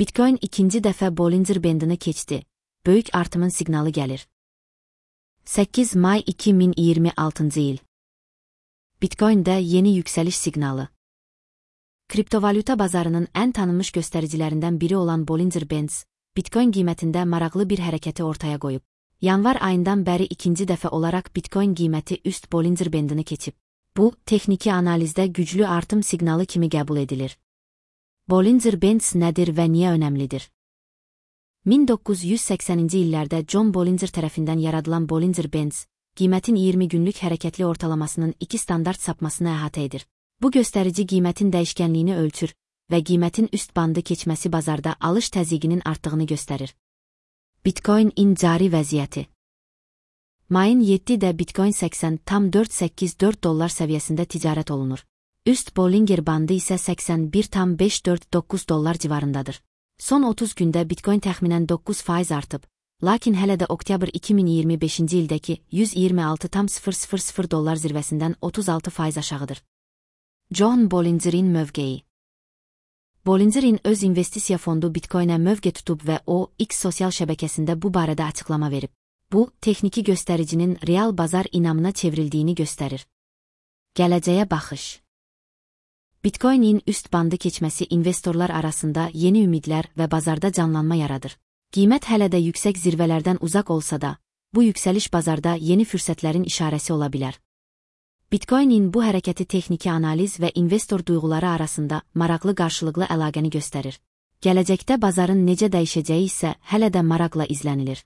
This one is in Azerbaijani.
Bitcoin ikinci dəfə Bollinger Bandını keçdi. Böyük artımın siqnalı gəlir. 8 may 2026-cı il. Bitcoin'də yeni yüksəliş siqnalı. Kriptovalyuta bazarının ən tanınmış göstəricilərindən biri olan Bollinger Bands, Bitcoin qiymətində maraqlı bir hərəkəti ortaya qoyub. Yanvar ayından bəri ikinci dəfə olaraq Bitcoin qiyməti üst Bollinger Bandını keçib. Bu, texniki analizdə güclü artım siqnalı kimi qəbul edilir. Bollinger Bands nədir və niyə önəmlidir? 1980-ci illərdə John Bollinger tərəfindən yaradılan Bollinger Bands, qiymətin 20 günlük hərəkətli ortalamasının 2 standart sapmasını əhatə edir. Bu göstərici qiymətin dəyişkənliyini ölçür və qiymətin üst bandı keçməsi bazarda alış təzyiqinin artdığını göstərir. Bitcoin-in cari vəziyyəti. Mayın 7-də Bitcoin 80,484 dollar səviyyəsində ticarət olunur. Üst Bollinger bandı isə 81,549 dollar civarındadır. Son 30 gündə Bitcoin təxminən 9% artıb, lakin hələ də oktyabr 2025-ci ildəki 126,000 dollar zirvəsindən 36% aşağıdır. John Bollingerin mövqeyi. Bollingerin öz investisiya fondu Bitcoinə mövqe tutub və o, X sosial şəbəkəsində bu barədə açıqlama verib. Bu, texniki göstəricinin real bazar inamına çevrildiyini göstərir. Gələcəyə baxış. Bitcoin-in üst bandı keçməsi investorlar arasında yeni ümidlər və bazarda canlanma yaradır. Qiymət hələ də yüksək zirvələrdən uzaq olsa da, bu yüksəliş bazarda yeni fürsətlərin işarəsi ola bilər. Bitcoin-in bu hərəkəti texniki analiz və investor duyğuları arasında maraqlı qarşılıqlı əlaqəni göstərir. Gələcəkdə bazarın necə dəyişəcəyi isə hələ də maraqla izlənilir.